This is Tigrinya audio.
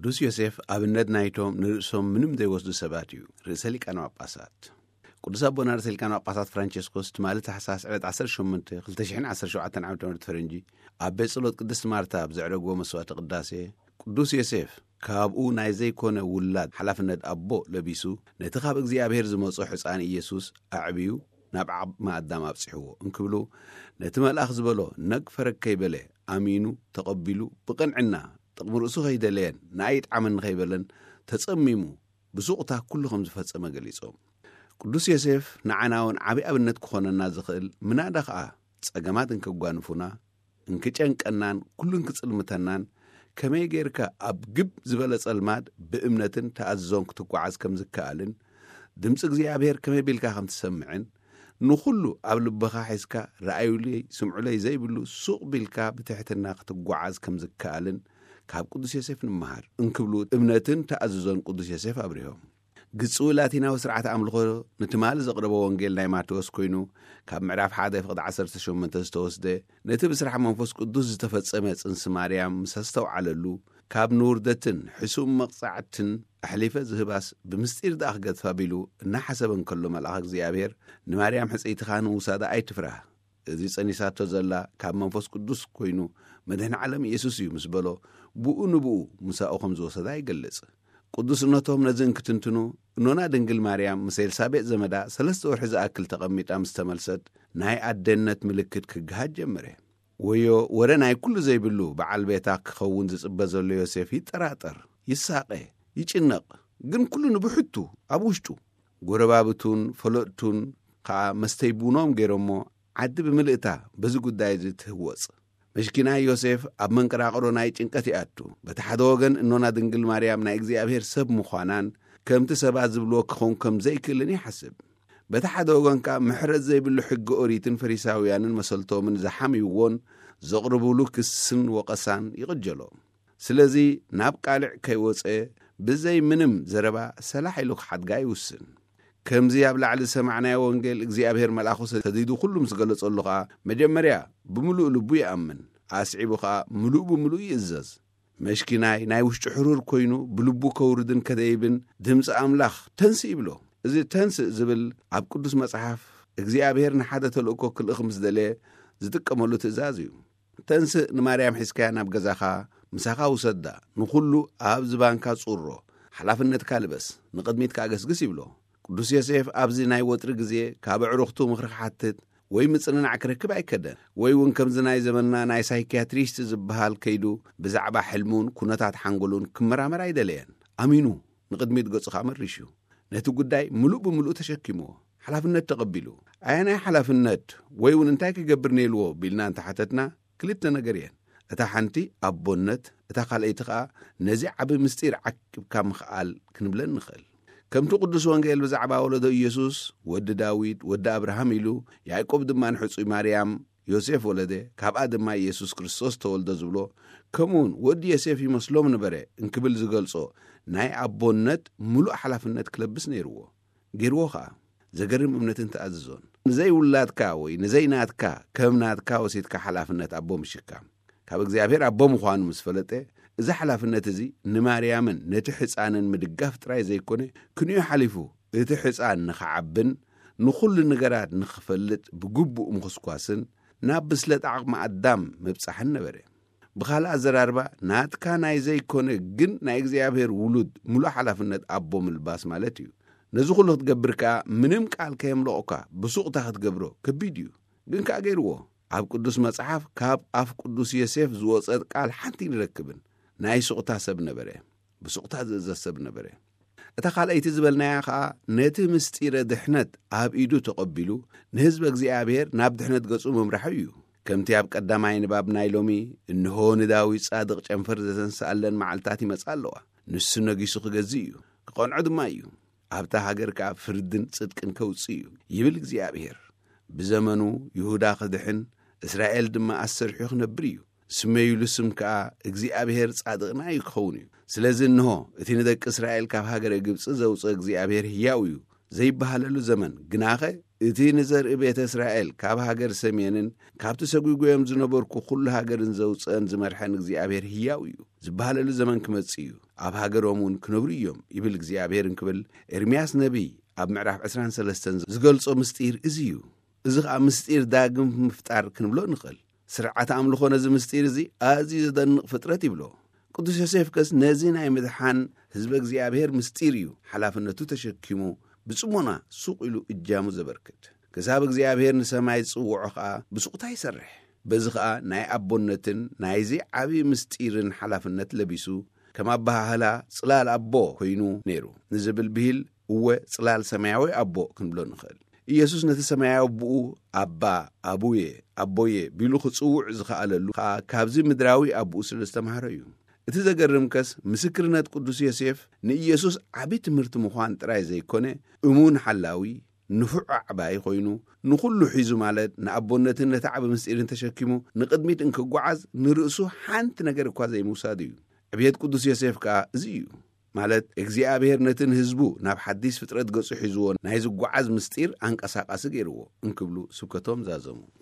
ቅዱስ ዮሴፍ ኣብነት ናይቶም ንርእሶም ምንም ዘይወስዱ ሰባት እዩ። ርእሰ ሊቃነ ጳጳሳት ቅዱስ ኣቦና ርእሰ ሊቃነ ጳጳሳት ፍራንቸስኮስ ትማሊ ታሕሳስ ዕለት ዓሰርተ ሸሞንተ ክልተ ሽሕን ዓሰርተ ሸውዓተን ዓመተ ምህረት ፈረንጂ ኣብ ቤት ጸሎት ቅድስት ማርታ ኣብ ዘዕረግዎ መስዋዕተ ቅዳሴ፣ ቅዱስ ዮሴፍ ካብኡ ናይ ዘይኮነ ውላድ ሓላፍነት ኣቦ ለቢሱ፣ ነቲ ካብ እግዚኣብሔር ዝመጾ ሕፃን ኢየሱስ ኣዕብዩ ናብ ዓቕሚ ኣዳም ኣብጺሕዎ እንክብሉ፣ ነቲ መልኣኽ ዝበሎ ነግ ፈረግ ከይበለ ኣሚኑ ተቐቢሉ፣ ብቕንዕና ጥቕሚ ርእሱ ከይደለየን ንኣይ ይጥዓመኒ ከይበለን ተጸሚሙ ብሱቕታ ኩሉ ከም ዝፈጸመ ገሊጾም። ቅዱስ ዮሴፍ ንዓና እውን ዓቢ ኣብነት ክኾነና ዝኽእል፣ ምናዳ ኸኣ ጸገማት እንክጓንፉና፣ እንክጨንቀናን ኩሉ እንክጽልምተናን፣ ከመይ ጌርካ ኣብ ግብ ዝበለ ጸልማት ብእምነትን ተኣዝዞን ክትጓዓዝ ከም ዝከኣልን፣ ድምጺ እግዚኣብሔር ከመይ ቢልካ ከም ትሰምዕን፣ ንኹሉ ኣብ ልብኻ ሒዝካ ረኣዩለይ ስምዑለይ ዘይብሉ ሱቕ ቢልካ ብትሕትና ክትጓዓዝ ከም ዝከኣልን ካብ ቅዱስ ዮሴፍ ንምሃር እንክብሉ እምነትን ተኣዝዞን ቅዱስ ዮሴፍ ኣብሪሆም። ግጽዊ ላቲናዊ ስርዓት ኣምልኾ ንትማሊ ዘቕረቦ ወንጌል ናይ ማቴዎስ ኮይኑ፣ ካብ ምዕራፍ ሓደ ፍቕዲ ዓሰርተ ሸሞንተ ዝተወስደ፣ ነቲ ብስራሕ መንፈስ ቅዱስ ዝተፈጸመ ጽንሲ ማርያም ምስ ኣስተውዓለሉ፣ ካብ ንውርደትን ሕሱም መቕጻዕትን ኣሕሊፈ ዝህባስ ብምስጢር ደኣ ክገድፋ ቢሉ እናሓሰበ እንከሎ፣ መልኣኽ እግዚኣብሔር ንማርያም ሕጽይትኻ ንምውሳዳ ኣይትፍራህ፣ እዚ ጸኒሳቶ ዘላ ካብ መንፈስ ቅዱስ ኮይኑ መድህን ዓለም ኢየሱስ እዩ ምስ በሎ፣ ብኡ ንብኡ ምሳኡ ከም ዝወሰዳ ይገልጽ። ቅዱስነቶም ነዚ እንክትንትኑ፣ እኖና ድንግል ማርያም ምስ ኤልሳቤጥ ዘመዳ ሰለስተ ወርሒ ዝኣክል ተቐሚጣ ምስ ተመልሰት፣ ናይ ኣደነት ምልክት ክግሃድ ጀመረ። ወዮ፣ ወረ ናይ ኩሉ ዘይብሉ በዓል ቤታ ክኸውን ዝጽበ ዘሎ ዮሴፍ ይጠራጠር፣ ይሳቐ፣ ይጭነቕ፣ ግን ኩሉ ንብሕቱ ኣብ ውሽጡ። ጎረባብቱን ፈለጥቱን ከኣ መስተይ ቡኖም ገይሮሞ፣ ዓዲ ብምልእታ በዚ ጉዳይ እዚ ትህወጽ። መሽኪናይ ዮሴፍ ኣብ መንቀራቕሮ ናይ ጭንቀት ይኣቱ። በቲ ሓደ ወገን እኖና ድንግል ማርያም ናይ እግዚኣብሔር ሰብ ምዃናን ከምቲ ሰባት ዝብልዎ ክኸውን ከም ዘይክእልን ይሓስብ። በቲ ሓደ ወገን ከኣ ምሕረት ዘይብሉ ሕጊ ኦሪትን ፈሪሳውያንን መሰልቶምን ዝሓምይዎን ዘቕርብሉ ክስን ወቐሳን ይቕጀሎ። ስለዚ ናብ ቃልዕ ከይወጸ ብዘይ ምንም ዘረባ ሰላሕ ኢሉ ክሓድጋ ይውስን። ከምዚ ኣብ ላዕሊ ዝሰማዕናዮ ወንጌል እግዚኣብሔር መልኣኹ ሰዲዱ ኩሉ ምስ ገለጸሉ ኸኣ፣ መጀመርያ ብምሉእ ልቡ ይኣምን፣ ኣስዒቡ ኸኣ ምሉእ ብምሉእ ይእዘዝ። መሽኪናይ ናይ ውሽጡ ሕሩር ኮይኑ ብልቡ ከውርድን ከደይብን ድምፂ ኣምላኽ ተንስእ ይብሎ። እዚ ተንስእ ዝብል ኣብ ቅዱስ መጽሓፍ እግዚኣብሔር ንሓደ ተልእኮ ክልእኽ ምስ ደለየ ዝጥቀመሉ ትእዛዝ እዩ። ተንስእ ንማርያም ሒዝካያ ናብ ገዛኻ ምሳኻ ውሰዳ፣ ንኹሉ ኣብ ዝባንካ ጹሮ፣ ሓላፍነትካ ልበስ፣ ንቕድሚት ከኣ ገስግስ ይብሎ። ቅዱስ ዮሴፍ ኣብዚ ናይ ወጥሪ ግዜ ካብ ኣዕሩኽቱ ምኽሪ ክሓትት ወይ ምጽንናዕ ክረክብ ኣይከደን። ወይ እውን ከምዚ ናይ ዘመንና ናይ ሳይኪያትሪስት ዝበሃል ከይዱ ብዛዕባ ሕልሙን ኩነታት ሓንጎሉን ክመራመር ኣይደለየን። ኣሚኑ ንቕድሚት ገጹ ከኣ መሪሹ። ነቲ ጉዳይ ምሉእ ብምሉእ ተሸኪምዎ። ሓላፍነት ተቐቢሉ። ኣየናይ ሓላፍነት ወይ እውን እንታይ ክገብር ነይልዎ ቢልና እንተሓተትና፣ ክልተ ነገር እየን። እታ ሓንቲ ኣቦነት፣ እታ ካልኣይቲ ኸኣ ነዚ ዓቢ ምስጢር ዓቂብካ ምኽኣል ክንብለን ንኽእል። ከምቲ ቅዱስ ወንጌል ብዛዕባ ወለዶ ኢየሱስ፣ ወዲ ዳዊት፣ ወዲ ኣብርሃም ኢሉ፣ ያዕቆብ ድማ ንሕጹይ ማርያም፣ ዮሴፍ ወለደ፣ ካብኣ ድማ ኢየሱስ ክርስቶስ ተወልደ ዝብሎ፣ ከምኡውን ወዲ ዮሴፍ ይመስሎም ነበረ እንክብል ዝገልጾ ናይ ኣቦነት ምሉእ ሓላፍነት ክለብስ ነይርዎ። ገይርዎ ኸኣ። ዘገርም እምነትን ተኣዝዞን። ንዘይውላድካ ወይ ንዘይናትካ ከም ናትካ ወሲድካ ሓላፍነት ኣቦ ምሽካም። ካብ እግዚኣብሔር ኣቦ ምዃኑ ምስ ፈለጠ፣ እዚ ሓላፍነት እዚ ንማርያምን ነቲ ሕፃንን ምድጋፍ ጥራይ ዘይኮነ፣ ክንዩ ሓሊፉ እቲ ሕፃን ንኽዓብን ንኹሉ ነገራት ንኽፈልጥ ብግቡእ ምኹስኳስን ናብ ብስለት ዓቕሚ ኣዳም ምብጻሕን ነበረ። ብኻልእ ኣዘራርባ፣ ናትካ ናይ ዘይኮነ ግን ናይ እግዚኣብሔር ውሉድ ምሉእ ሓላፍነት ኣቦ ምልባስ ማለት እዩ። ነዚ ኩሉ ክትገብር ከኣ ምንም ቃል ከየምለቑካ ብሱቕታ ክትገብሮ ከቢድ እዩ። ግን ከኣ ገይርዎ። ኣብ ቅዱስ መጽሓፍ ካብ ኣፍ ቅዱስ ዮሴፍ ዝወጸት ቃል ሓንቲ ንረክብን። ናይ ሱቕታ ሰብ ነበረ። ብሱቕታ ዝእዘዝ ሰብ ነበረ። እታ ካልኣይቲ ዝበልናያ ኸኣ ነቲ ምስጢረ ድሕነት ኣብ ኢዱ ተቐቢሉ ንህዝቢ እግዚኣብሔር ናብ ድሕነት ገጹ ምምራሑ እዩ። ከምቲ ኣብ ቀዳማይ ንባብ ናይ ሎሚ፣ "እንሆ ንዳዊት ጻድቕ ጨንፈር ዘተንስኣለን መዓልታት ይመጻ ኣለዋ። ንሱ ነጊሱ ክገዝእ እዩ፣ ክቐንዖ ድማ እዩ። ኣብታ ሃገር ከኣ ፍርድን ጽድቅን ከውጽእ እዩ" ይብል እግዚኣብሔር። ብዘመኑ ይሁዳ ክድሕን፣ እስራኤል ድማ ኣሰርሑ ክነብር እዩ። ስመይሉ ስም ከኣ እግዚኣብሔር ጻድቕና እዩ ክኸውን እዩ። ስለዚ እንሆ፣ እቲ ንደቂ እስራኤል ካብ ሃገረ ግብጺ ዘውጽእ እግዚኣብሔር ህያው እዩ ዘይበሃለሉ ዘመን፣ ግናኸ እቲ ንዘርኢ ቤተ እስራኤል ካብ ሃገር ሰሜንን ካብቲ ሰጒጎዮም ዝነበርኩ ኩሉ ሃገርን ዘውጽአን ዝመርሐን እግዚኣብሔር ህያው እዩ ዝበሃለሉ ዘመን ክመጽእ እዩ። ኣብ ሃገሮም እውን ክነብሩ እዮም ይብል እግዚኣብሔር እንክብል ኤርምያስ ነቢይ ኣብ ምዕራፍ ዕስራን ሰለስተን ዝገልጾ ምስጢር እዚ እዩ። እዚ ኸኣ ምስጢር ዳግም ምፍጣር ክንብሎ ንኽእል። ስርዓት ኣምልኾ ነዚ ምስጢር እዚ ኣዝዩ ዘደንቕ ፍጥረት ይብሎ። ቅዱስ ዮሴፍ ከስ ነዚ ናይ ምድሓን ህዝበ እግዚኣብሔር ምስጢር እዩ ሓላፍነቱ ተሸኪሙ ብጽሞና ሱቕ ኢሉ እጃሙ ዘበርክት። ክሳብ እግዚኣብሔር ንሰማይ ዝጽውዖ ኸኣ ብሱቕታ ይሰርሕ። በዚ ኸኣ ናይ ኣቦነትን ናይዚ ዓብዪ ምስጢርን ሓላፍነት ለቢሱ ከም ኣበሃህላ ጽላል ኣቦ ኮይኑ ነይሩ ንዝብል ብሂል እወ ጽላል ሰማያዊ ኣቦ ክንብሎ ንኽእል። ኢየሱስ ነቲ ሰማያዊ ኣቦኡ ኣባ፣ ኣቡየ፣ ኣቦየ ቢሉ ክጽውዕ ዝኸኣለሉ ኸኣ ካብዚ ምድራዊ ኣቦኡ ስለ ዝተማህረ እዩ። እቲ ዘገርም ከስ ምስክርነት ቅዱስ ዮሴፍ ንኢየሱስ ዓቢ ትምህርቲ ምዃን ጥራይ ዘይኮነ እሙን ሓላዊ ንፉዕ ኣዕባይ ኮይኑ ንኹሉ ሒዙ ማለት ንኣቦነትን ነቲ ዓቢ ምስጢርን ተሸኪሙ ንቕድሚት እንክጓዓዝ ንርእሱ ሓንቲ ነገር እኳ ዘይምውሳድ እዩ። ዕብየት ቅዱስ ዮሴፍ ከኣ እዚ እዩ። ማለት እግዚኣብሔር ነቲ ንህዝቡ ናብ ሓዲስ ፍጥረት ገጹ ሒዝዎ ናይ ዝጓዓዝ ምስጢር ኣንቀሳቃሲ ገይርዎ እንክብሉ ስብከቶም ዛዘሙ።